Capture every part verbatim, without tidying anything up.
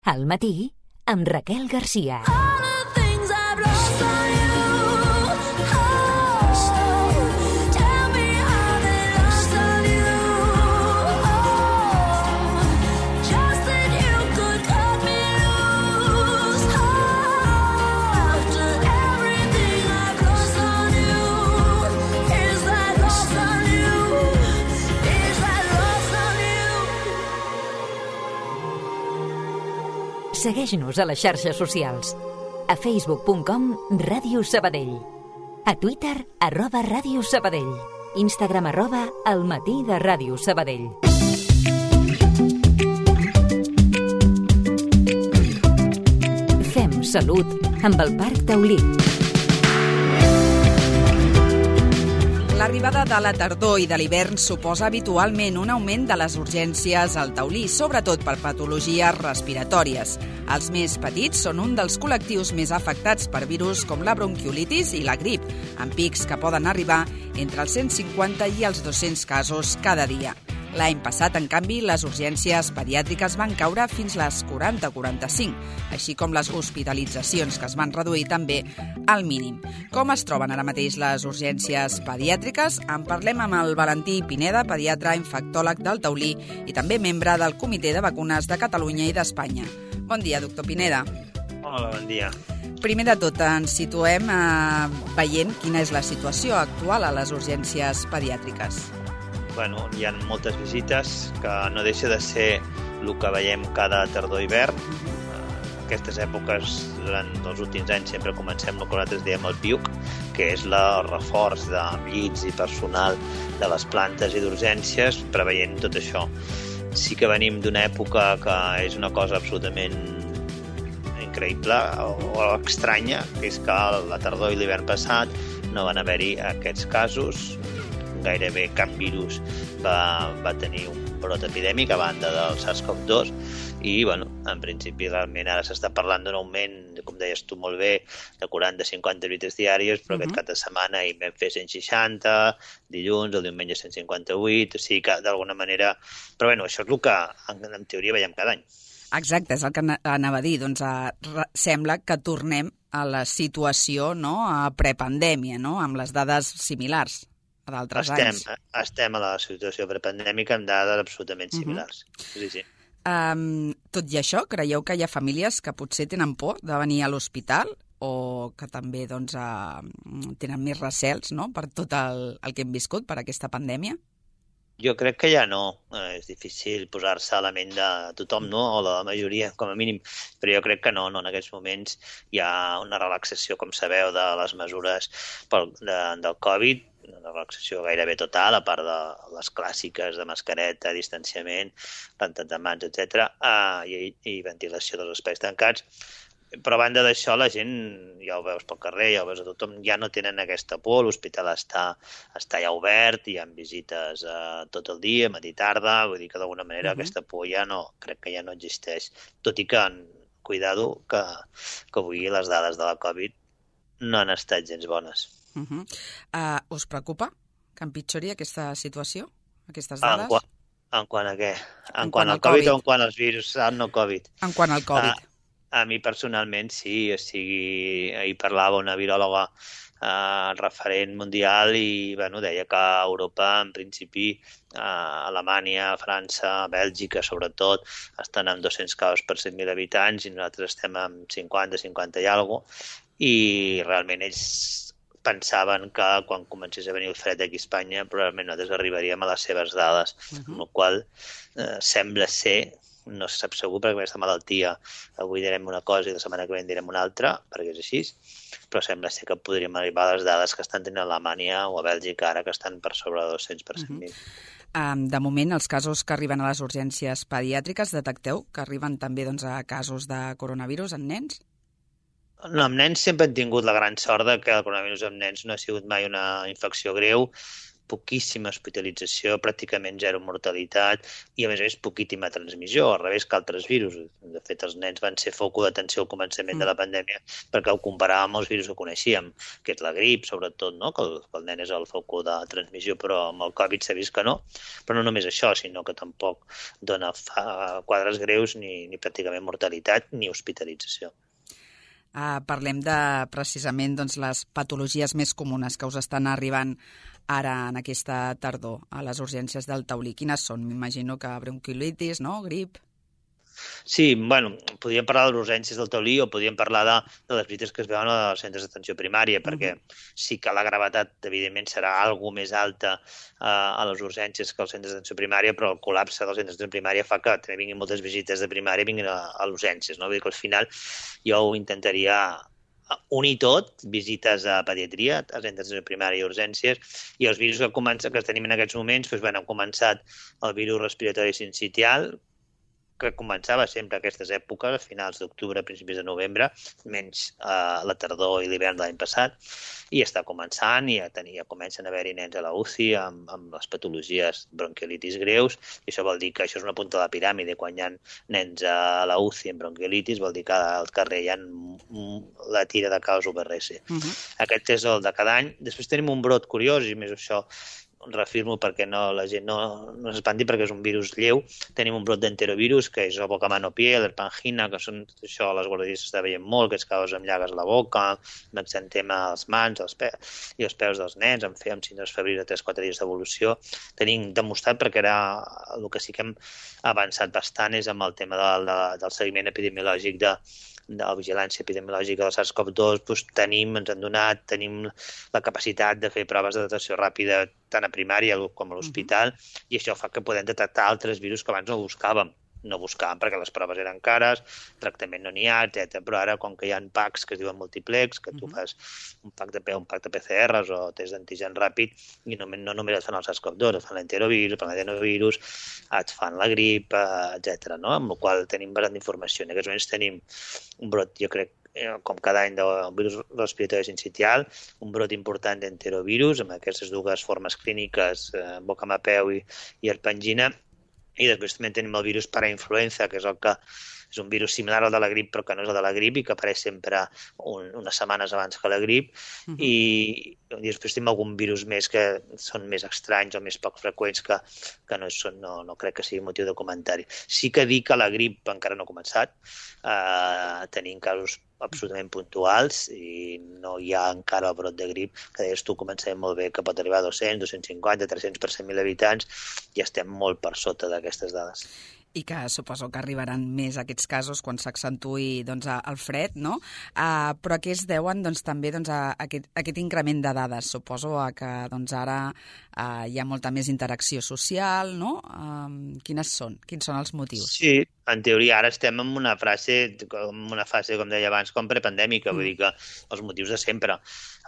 Al matí, amb Raquel Garcia. Segueix-nos a les xarxes socials. A facebook punt com Ràdio Sabadell. A Twitter, arroba Ràdio Sabadell. Instagram, arroba El Matí de Ràdio Sabadell. Fem salut amb el Parc Taulí. L'arribada de la tardor i de l'hivern suposa habitualment un augment de les urgències al Taulí, sobretot per patologies respiratòries. Els més petits són un dels col·lectius més afectats per virus com la bronquiolitis i la grip, amb pics que poden arribar entre els cent cinquanta i els dos-cents casos cada dia. L'any passat, en canvi, les urgències pediàtriques van caure fins les quaranta a quaranta-cinc, així com les hospitalitzacions, que es van reduir també al mínim. Com es troben ara mateix les urgències pediàtriques? En parlem amb el Valentí Pineda, pediatre infectòleg del Taulí i també membre del Comitè de Vacunes de Catalunya i d'Espanya. Bon dia, doctor Pineda. Hola, bon dia. Primer de tot, ens situem eh, veient quina és la situació actual a les urgències pediàtriques. Bueno, hi ha moltes visites, que no deixa de ser el que veiem cada tardor-hivern. Aquestes èpoques, durant els últims anys, sempre comencem el que nosaltres diem el P I U C, que és el reforç de llits i personal de les plantes i d'urgències, preveient tot això. Sí que venim d'una època que és una cosa absolutament increïble o, o estranya, que és que la tardor i l'hivern passat no van haver-hi aquests casos. Gairebé cap virus va, va tenir un brot epidèmic a banda del SARS-CoV dos i, bueno, en principi, realment ara s'està parlant d'un augment, com deies tu molt bé, de quaranta a cinquanta visites diàries, però uh-huh. aquest cap de setmana hi vam fer cent seixanta, dilluns, el diumenge cent cinquanta-vuit, o sigui que d'alguna manera... Però, bueno, això és el que en, en teoria veiem cada any. Exacte, és el que anava a dir. Doncs uh, sembla que tornem a la situació, no?, a prepandèmia, no?, amb les dades similars d'altres estem, anys. Estem a la situació prepandèmica amb dades absolutament similars. Uh-huh. Sí, sí. Um, tot i això, creieu que hi ha famílies que potser tenen por de venir a l'hospital o que també doncs, uh, tenen més recels, no?, per tot el, el que hem viscut, per aquesta pandèmia? Jo crec que ja no. Eh, és difícil posar-se a la ment de tothom, no?, o de la majoria, com a mínim. Però jo crec que no, no. En aquests moments hi ha una relaxació, com sabeu, de les mesures pel, de, del Covid, una relaxació gairebé total, a part de les clàssiques de mascareta, distanciament, rentat de mans, etcètera, uh, i, i ventilació dels espais tancats. Però a banda d'això, la gent, ja ho veus pel carrer, ja ho veus a tothom, ja no tenen aquesta por, l'hospital està, està ja obert, hi ha visites uh, tot el dia, matí i tarda, vull dir que d'alguna manera uh-huh. aquesta por ja no, crec que ja no existeix. Tot i que, cuidado, que, que avui les dades de la Covid no han estat gens bones. Uh-huh. Uh, us preocupa que empitjori aquesta situació, aquestes dades? En, qua, en quant a què? En, en quant al COVID, COVID o en quant als virus no Covid? En quant al Covid. Uh, a mi personalment sí, o sigui, ahir parlava una viròloga uh, referent mundial i bueno, deia que a Europa, en principi, uh, Alemanya, França, Bèlgica, sobretot, estan amb dos-cents casos per cent mil habitants i nosaltres estem amb cinquanta, cinquanta i alguna cosa, i realment ells pensaven que quan comencés a venir el fred aquí a Espanya probablement nosaltres arribaríem a les seves dades, uh-huh. amb la qual eh, sembla ser, no se sap segur perquè aquesta malaltia avui direm una cosa i la setmana que ve direm una altra, perquè és així, però sembla ser que podríem arribar a les dades que estan tenint a Alemanya o a Bèlgica ara que estan per sobre de dos-cents per cent mil. Uh-huh. Um, de moment, els casos que arriben a les urgències pediàtriques, detecteu que arriben també doncs, a casos de coronavirus en nens? No, amb nens sempre hem tingut la gran sort de que el coronavirus amb nens no ha sigut mai una infecció greu, poquíssima hospitalització, pràcticament zero mortalitat i, a més a més, poquíssima transmissió, al revés que altres virus. De fet, els nens van ser foc d'atenció al començament de la pandèmia perquè ho comparàvem amb els virus que coneixíem, que és la grip, sobretot, no? que, el, que el nen és el foc de transmissió, però amb el Covid s'ha vist que no. Però no només això, sinó que tampoc dona quadres greus ni, ni pràcticament mortalitat ni hospitalització. Uh, parlem de, precisament, doncs, les patologies més comunes que us estan arribant ara en aquesta tardor a les urgències del Taulí. Quines són? M'imagino que bronquiolitis, no? Grip? Sí, bueno, podríem parlar de les urgències del Taulí o podríem parlar de, de les visites que es veuen als centres d'atenció primària, perquè sí que la gravetat, evidentment, serà alguna més alta uh, a les urgències que als centres d'atenció primària, però el col·lapse dels centres d'atenció primària fa que també vinguin moltes visites de primària i vinguin a, a les urgències, no? Vull dir que al final jo ho intentaria unir tot, visites a pediatria, a centres de primària i urgències, i els virus que, comença, que tenim en aquests moments, doncs, bueno, han començat el virus respiratori sincitial, que començava sempre a aquestes èpoques, a finals d'octubre, principis de novembre, menys eh, la tardor i l'hivern de l'any passat, i està començant i ja, tenir, ja comencen a haver-hi nens a la U C I amb, amb les patologies bronquiolitis greus, i això vol dir que això és una punta de la piràmide. Quan hi ha nens a la U C I amb bronquiolitis vol dir que al carrer hi ha la tira de caos U V R S. Uh-huh. Aquest és el de cada any. Després tenim un brot curiós, i més això reafirmo perquè no, la gent no, no s'espanti perquè és un virus lleu. Tenim un brot d'enterovirus, que és el bocamano-pie, l'herpangina, que són això, les guarderies s'està veient molt, que es causa amb llagues a la boca, amb exantema als mans els pe i els peus dels nens, amb, amb síndromes febrils de tres a quatre dies d'evolució. Tenim demostrat, perquè era el que sí que hem avançat bastant, és amb el tema del, de, del seguiment epidemiològic de de la vigilància epidemiològica del SARS CoV dos, doncs tenim, ens han donat, tenim la capacitat de fer proves de detecció ràpida tant a primària com a l'hospital, uh-huh. i això fa que podem detectar altres virus que abans no buscàvem. No buscàvem perquè les proves eren cares, tractament no n'hi ha, etcètera. Però ara, com que hi ha packs que es diuen multiplex, que tu fas un pack de, un pack de P C Rs o test d'antigen ràpid, i no, no només et fan el SARS CoV dos, et fan l'enterovirus, et fan l'adenovirus, et fan la grip, etcètera. No? Amb la qual tenim bastant d'informació. En aquests moments tenim un brot, jo crec, com cada any del virus respiratori sincitial, un brot important d'enterovirus, amb aquestes dues formes clíniques, eh, bocamapeu i, i herpangina, i després també tenim el virus parainfluenza, que és el que és un virus similar al de la grip, però que no és el de la grip i que apareix sempre un, unes setmanes abans que la grip. Uh-huh. I, i després tenim algun virus més que són més estranys o més poc freqüents que, que no, són, no, no crec que sigui motiu de comentari. Sí que dir que la grip encara no ha començat. Uh, tenim casos absolutament puntuals i no hi ha encara el brot de grip, que deies tu, comencem molt bé, que pot arribar a dos-cents, dos-cents cinquanta, tres-cents per cent mil habitants, i estem molt per sota d'aquestes dades. I que suposo que arribaran més aquests casos quan s'accentui doncs, el fred, no? Uh, però a què es deuen doncs, també doncs, a, a aquest, a aquest increment de dades? Suposo a que doncs, ara uh, hi ha molta més interacció social, no? Uh, quines són? Quins són els motius? Sí, en teoria ara estem en una fase, en una fase, com deia abans, com prepandèmica, mm. vull dir que els motius de sempre.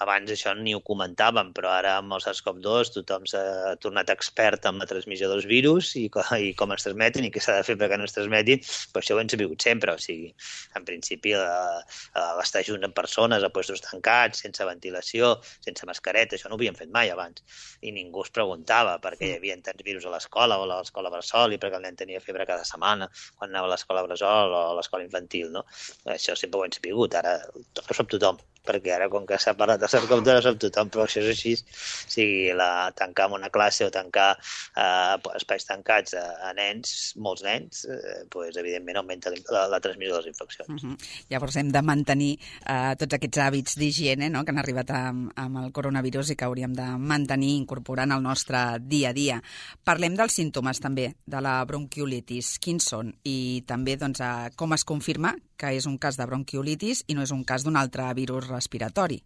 Abans això ni ho comentàvem, però ara amb el SARS CoV dos tothom s'ha tornat expert en la transmissió dels virus i, i com es transmeten i què s'ha de fer perquè no es transmetin, però això ho hem sabut sempre. O sigui, en principi, l'estar junt amb persones a puestos tancats, sense ventilació, sense mascareta, això no ho havíem fet mai abans. I ningú es preguntava per què hi havia tants virus a l'escola o a l'escola bressol i perquè el nen tenia febre cada setmana quan anava a l'escola bressol o a l'escola infantil, no? Això sempre ho hem sabut, ara ho sap tothom, perquè ara, com que s'ha parlat de SARS CoV dos, sap tothom, però això és així. O sigui, la, tancar en una classe o tancar eh, espais tancats a, a nens, molts nens, eh, pues, evidentment augmenta la, la transmissió de les infeccions. Uh-huh. Llavors hem de mantenir eh, tots aquests hàbits d'higiene, no?, que han arribat amb, amb el coronavirus i que hauríem de mantenir incorporant al nostre dia a dia. Parlem dels símptomes també de la bronquiolitis. Quins són? I també doncs, eh, com es confirma que és un cas de bronquiolitis i no és un cas d'un altre virus respiratori.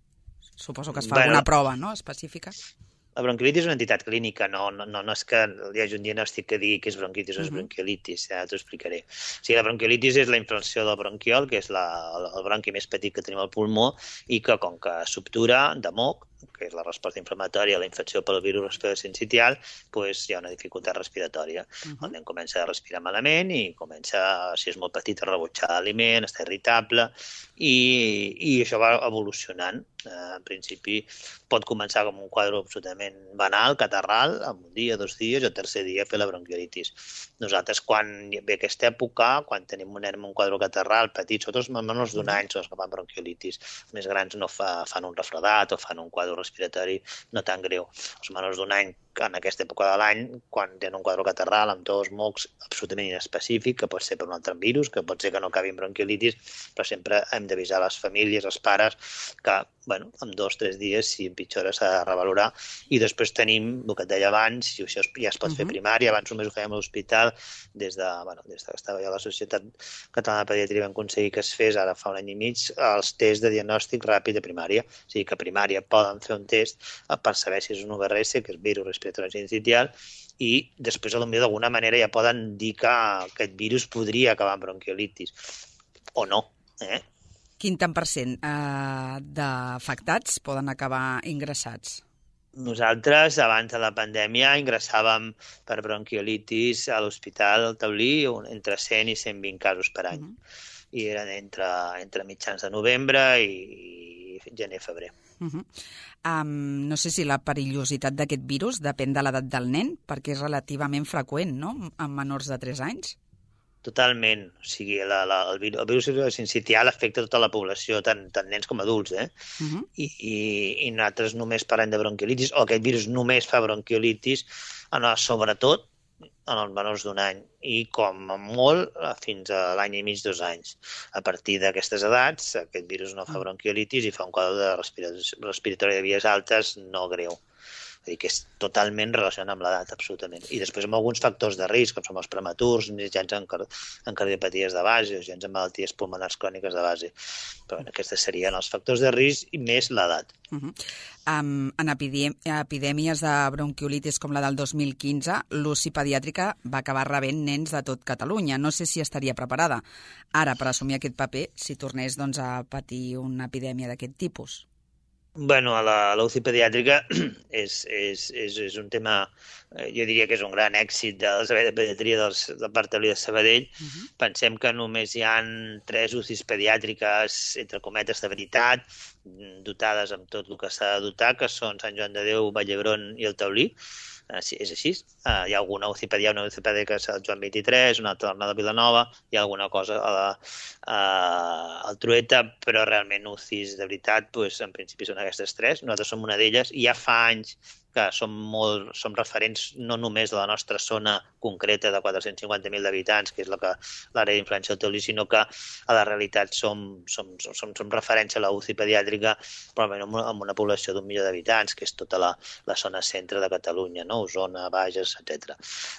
Suposo que es fa bueno, alguna prova, no?, específica. La bronquiolitis és una entitat clínica, no, no, no, no és que hi hagi un diagnòstic que digui que és bronquitis o és uh-huh. bronquiolitis, ja t'ho explicaré. O sigui, la bronquiolitis és la inflamació del bronquiol, que és la, el bronqui més petit que tenim al pulmó, i que, com que s'obtura de moc, que és la resposta inflamatòria a la infecció pel virus respiratori sincitial, doncs hi ha una dificultat respiratòria. Uh -huh. El nen comença a respirar malament i comença, si és molt petit, a rebutjar l'aliment, està irritable, i, i això va evolucionant. Uh, en principi pot començar com un quadre absolutament banal, catarral, en un dia, dos dies, i el tercer dia fer la bronquiolitis. Nosaltres, quan ve aquesta època, quan tenim un nen amb un quadre catarral petit, sobretot els menors d'un any són els que fan bronquiolitis. Els més grans no fa, fan un refredat o fan un quadre respiratori no tan greu. Els menors d'un any, en aquesta època de l'any, quan tenen un quadre catarral amb tos, mocs, absolutament inespecífic, que pot ser per un altre virus, que pot ser que no acabi en bronquiolitis, però sempre hem d'avisar les famílies, els pares, que bueno, en dos o tres dies, si empitjora, s'ha de revalorar. I després tenim, el que et deia abans, si això ja es pot uh -huh. fer primària, abans només ho fèiem a l'hospital, des de, bueno, des de que estava jo a la Societat Catalana de Pediatria vam aconseguir que es fes, ara fa un any i mig, els tests de diagnòstic ràpid de primària. O sigui que a primària poden fer un test per saber si és un U V R S, que és virus respiratori sincitial, i després, potser d'alguna manera ja poden dir que aquest virus podria acabar en bronquiolitis. O no, eh? Quin tant per cent eh, d'afectats poden acabar ingressats? Nosaltres, abans de la pandèmia, ingressàvem per bronquiolitis a l'Hospital del Taulí entre cent i cent vint casos per any. Uh -huh. I eren entre, entre mitjans de novembre i, i gener-febrer. Uh -huh. um, no sé si la perillositat d'aquest virus depèn de l'edat del nen, perquè és relativament freqüent, no?, en menors de tres anys. Totalment. O sigui, la, la, el, virus, el virus sincitial afecta tota la població, tant, tant nens com adults, eh? Uh-huh. I, i, I nosaltres només parlem de bronquiolitis, o aquest virus només fa bronquiolitis, no, sobretot en els menors d'un any, i com a molt fins a l'any i mig, dos anys. A partir d'aquestes edats, aquest virus no fa bronquiolitis i fa un quadre de respiratori de vies altes no greu. És a dir, que és totalment relacionat amb l'edat, absolutament. I després amb alguns factors de risc, com són els prematurs, gens en, car en cardiopaties de base o gens en malalties pulmonars cròniques de base. Però bueno, aquests serien els factors de risc i més l'edat. Uh -huh. um, en epidèm epidèmies de bronquiolitis com la del dos mil quinze, l'U C I pediàtrica va acabar rebent nens de tot Catalunya. No sé si estaria preparada ara per assumir aquest paper si tornés doncs, a patir una epidèmia d'aquest tipus. Bueno, a la, la U C I pediàtrica és, és, és, és un tema, eh, jo diria que és un gran èxit del servei de pediatria dels, del Parc Taulí de Sabadell. Uh -huh. Pensem que només hi ha tres U C Is pediàtriques, entre cometes, de veritat, dotades amb tot el que s'ha de dotar, que són Sant Joan de Déu, Vall d'Hebron i el Taulí. Uh, sí, és així. Uh, hi ha alguna U C I pediàtrica, una U C I pediàtrica al Joan vint-i-tres, una altra a la Vilanova, hi ha alguna cosa a la, uh, al Trueta, però realment U C Is de veritat, pues, en principi són aquestes tres. Nosaltres som una d'elles i ja fa anys que som, molt, som referents no només de la nostra zona concreta de quatre-cents cinquanta mil habitants, que és la que l'àrea d'influència del Taulí, sinó que a la realitat som, som, som, som referència a la U C I pediàtrica, probablement amb una població d'un milió d'habitants, que és tota la, la zona centre de Catalunya, no? Osona, Bages, etcètera.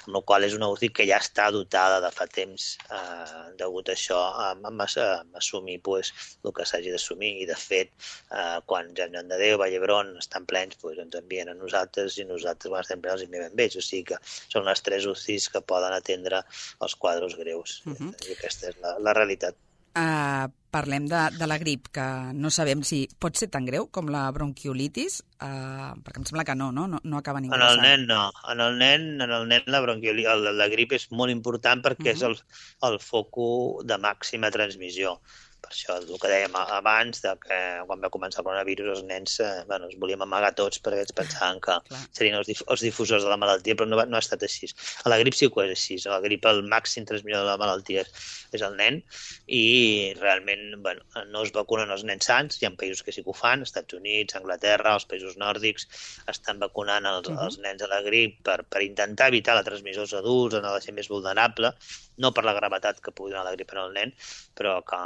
Amb la qual és una U C I que ja està dotada de fa temps, eh, degut a això, a, a, a assumir pues, el que s'hagi d'assumir. I, de fet, eh, quan Sant Joan de Déu, Vall d'Hebron estan plens, pues, ens envien a nosaltres i nosaltres quan estem plens els enviem amb ells. O sigui que són les tres U C Is que poden atendre els quadres greus. Uh -huh. I aquesta és la, la realitat. Uh, parlem de, de la grip, que no sabem si pot ser tan greu com la bronquiolitis, uh, perquè em sembla que no, no, no, no acaba ningú. En el nen no. En el nen, en el nen la bronquiolitis, la, la grip és molt important perquè uh -huh. és el, el foco de màxima transmissió. Per això, el que dèiem abans, de que quan va començar el coronavirus, els nens eh, bueno, es volíem amagar tots perquè ens pensaven que serien els, dif els difusors de la malaltia, però no, va, no ha estat així. A la grip sí que és així. A la grip el màxim transmissor de la malaltia és, és el nen i realment bueno, no es vacunen els nens sans. Hi ha països que sí que ho fan, Estats Units, Anglaterra, els països nòrdics estan vacunant els, uh -huh. els nens a la grip per, per intentar evitar la transmissió als adults, en la gent més vulnerable, no per la gravetat que pugui donar la grip en el nen, però que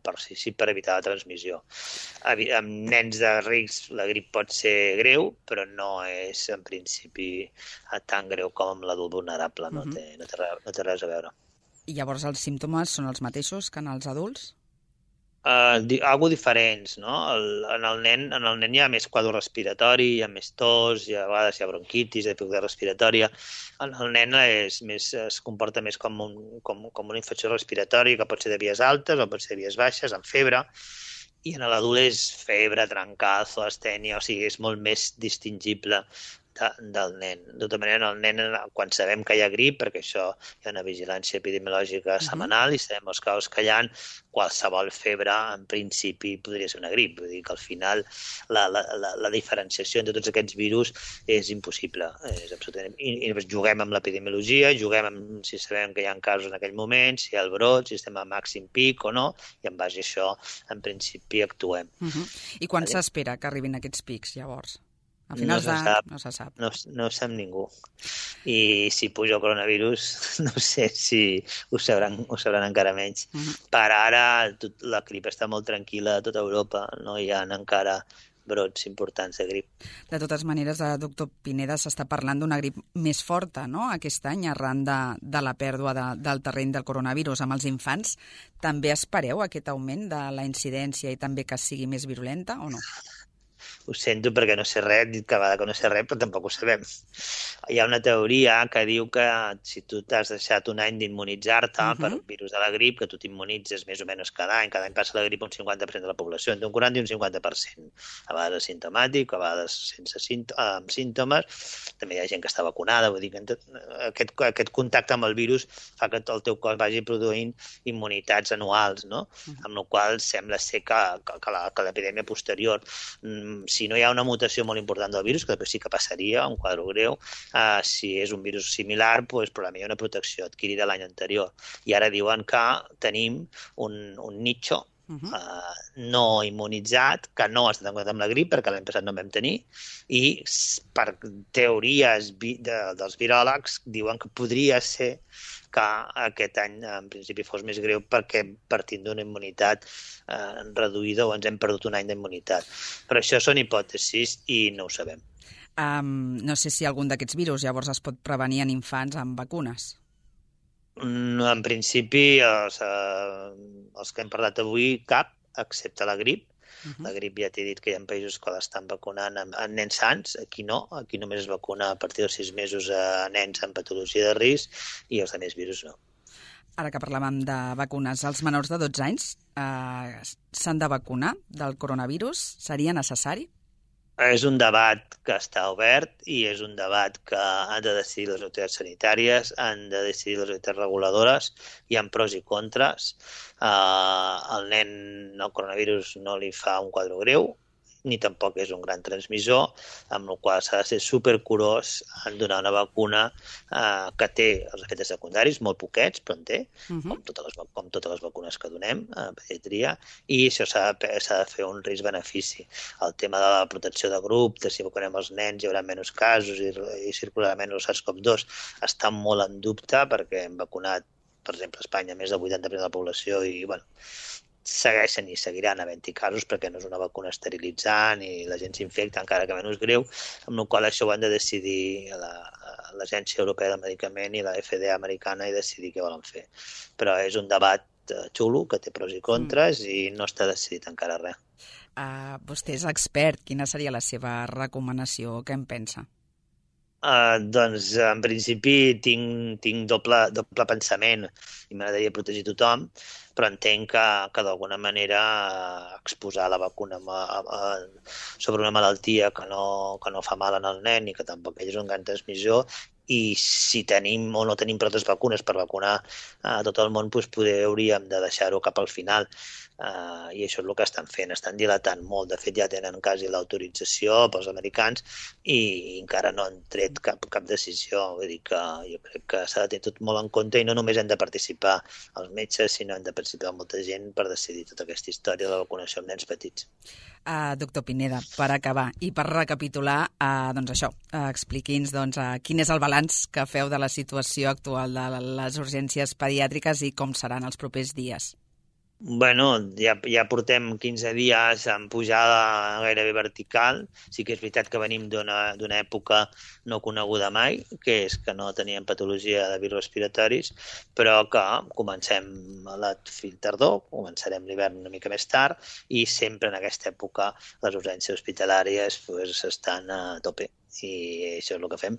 per, sí, sí, per evitar la transmissió. Amb nens de rics la grip pot ser greu, però no és en principi tan greu com amb l'adult vulnerable, no, uh -huh. té, no, té, no té res a veure. I llavors els símptomes són els mateixos que en els adults? Uh, di algo diferents, no? El, en, el nen, en el nen hi ha més quadre respiratori, hi ha més tos, hi ha, a vegades hi ha bronquitis, dificultat respiratòria. En el nen és més, es comporta més com, un, com, com una infecció respiratòria, que pot ser de vies altes o pot ser de vies baixes, amb febre, i en l'adult és febre, trencazo, astènia, o sigui, és molt més distingible de, del nen. De tota manera, el nen, quan sabem que hi ha grip, perquè això hi ha una vigilància epidemiològica setmanal i sabem els casos que hi ha, qualsevol febre, en principi, podria ser una grip. Vull dir que al final la, la, la, la diferenciació entre tots aquests virus és impossible. És absolutament... I, i juguem amb l'epidemiologia, juguem amb si sabem que hi ha casos en aquell moment, si hi ha el brot, si estem a màxim pic o no, i en base a això, en principi, actuem. Uh-huh. I quan vale. S'espera que arribin aquests pics, llavors? A finals no, d'any no se sap. No, no ho sap ningú. I si puja el coronavirus, no sé si ho sabran, ho sabran encara menys. Uh-huh. Per ara, tot, la grip està molt tranquil·la a tota Europa. No hi ha encara brots importants de grip. De totes maneres, doctor Pineda, s'està parlant d'una grip més forta, no?, aquest any, arran de, de la pèrdua de, del terreny del coronavirus amb els infants. També espereu aquest augment de la incidència i també que sigui més virulenta o no? Ho sento perquè no sé res, dic cada vegada que no sé res, però tampoc ho sabem. Hi ha una teoria que diu que si tu t'has deixat un any d'immunitzar-te uh-huh. per un virus de la grip, que tu t'immunitzes més o menys cada any, cada any passa la grip un cinquanta per cent de la població, entre un quaranta i un cinquanta per cent. A vegades asimptomàtic, a vegades sense símptomes, símptomes. També hi ha gent que està vacunada, vull dir que tot, aquest, aquest contacte amb el virus fa que el teu cos vagi produint immunitats anuals, no? Uh-huh. Amb la qual sembla ser que, que, que, la, que l'epidèmia posterior, si no hi ha una mutació molt important del virus, que sí que passaria, un quadre greu, eh, si és un virus similar, doncs, probablement hi ha una protecció adquirida l'any anterior. I ara diuen que tenim un, un nicho uh-huh. eh, no immunitzat, que no ha estat en compte amb la grip, perquè l'any passat no en vam tenir, i per teories vi, de, dels viròlegs diuen que podria ser que aquest any, en principi, fos més greu perquè partint d'una immunitat eh, reduïda o ens hem perdut un any d'immunitat. Però això són hipòtesis i no ho sabem. Um, no sé si algun d'aquests virus llavors es pot prevenir en infants amb vacunes. En principi, els, eh, els que hem parlat avui, cap, excepte la grip. Uh-huh. La grip ja t'he dit que hi ha països que l'estan vacunant en, en nens sans, aquí no, aquí només es vacuna a partir dels sis mesos a nens amb patologia de risc i els altres virus no. Ara que parlàvem de vacunes, els menors de dotze anys eh, s'han de vacunar del coronavirus? Seria necessari? És un debat que està obert i és un debat que han de decidir les autoritats sanitàries, han de decidir les autoritats reguladores, hi ha pros i contres. Uh, el nen, el coronavirus no li fa un quadre greu, ni tampoc és un gran transmissor, amb el qual s'ha de ser supercurós en donar una vacuna eh, que té els efectes secundaris, molt poquets, però en té, uh-huh. com, totes les, com totes les vacunes que donem a pediatria, i això s'ha de, s'ha de fer un risc-benefici. El tema de la protecció de grup, de si vacunem els nens hi haurà menys casos i, i circularà menys el SARS CoV dos, està molt en dubte perquè hem vacunat, per exemple, a Espanya més del vuitanta per cent de la població i, bueno, segueixen i seguiran havent-hi casos perquè no és una vacuna esterilitzant i la gent s'infecta encara que menys greu, amb la qual això ho han de decidir la, l'Agència Europea del Medicament i la F D A americana i decidir què volen fer. Però és un debat xulo que té pros i contres mm. i no està decidit encara res. Uh, vostè és expert. Quina seria la seva recomanació? Què en pensa? Uh, doncs, en principi, tinc, tinc doble, doble pensament i m'agradaria protegir tothom, però entenc que, que d'alguna manera exposar la vacuna a, a, a, sobre una malaltia que no, que no fa mal en el nen i que tampoc ell és un gran transmissor, i si tenim o no tenim prou vacunes per vacunar a tot el món, doncs poder hauríem de deixar-ho cap al final. Uh, I això és el que estan fent, estan dilatant molt. De fet, ja tenen quasi l'autorització pels americans i encara no han tret cap, cap decisió. Vull dir que jo crec que s'ha de tenir tot molt en compte i no només hem de participar els metges, sinó hem de participar molta gent per decidir tota aquesta història de la vacunació amb nens petits. Uh, doctor Pineda, per acabar i per recapitular, uh, doncs això, uh, expliqui'ns doncs, uh, quin és el balanç que feu de la situació actual de les urgències pediàtriques i com seran els propers dies. Bueno, ja, ja portem quinze dies en pujada gairebé vertical. Sí que és veritat que venim d'una, d'una època no coneguda mai, que és que no teníem patologia de virus respiratoris, però que comencem a la tardor, començarem l'hivern una mica més tard i sempre en aquesta època les urgències hospitalàries pues, estan a tope. I això és el que fem.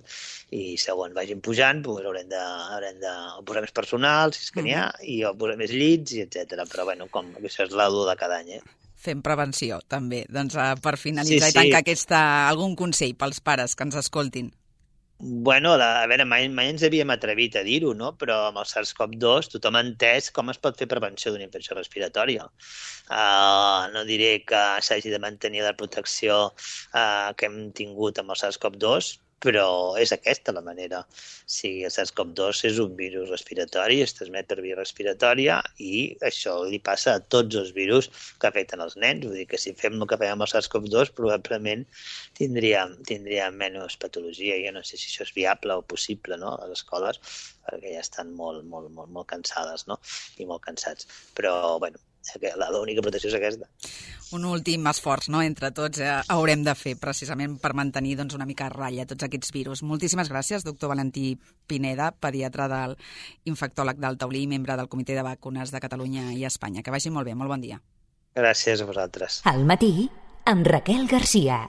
I segons vagin pujant, doncs haurem de, haurem de posar més personal, si és que n'hi ha, i posar més llits, i etcètera. Però bueno, com això és l'adu de cada any, eh? fem prevenció, també. Doncs uh, per finalitzar sí, sí. i tancar aquesta, algun consell pels pares que ens escoltin. Bueno, la, a veure, mai, mai ens havíem atrevit a dir-ho, no? Però amb el SARS-CoV dos tothom ha entès com es pot fer prevenció d'una infecció respiratòria. Uh, no diré que s'hagi de mantenir la protecció uh, que hem tingut amb el SARS-CoV dos, però és aquesta la manera. Sí, el SARS-CoV dos és un virus respiratori, es transmet per via respiratòria i això li passa a tots els virus que afecten els nens. Vull dir que si fem el que fem amb el SARS-CoV dos probablement tindríem, tindríem menys patologia. Jo no sé si això és viable o possible, no?, a les escoles, perquè ja estan molt, molt, molt, molt cansades, no?, i molt cansats. Però, bueno, l'única protecció és aquesta. Un últim esforç, no?, entre tots eh, haurem de fer precisament per mantenir doncs, una mica a ratlla tots aquests virus. Moltíssimes gràcies, doctor Valentí Pineda, pediatre del infectòleg del Taulí i membre del Comitè de Vacunes de Catalunya i Espanya. Que vagi molt bé, molt bon dia. Gràcies a vosaltres. Al matí, amb Raquel Garcia.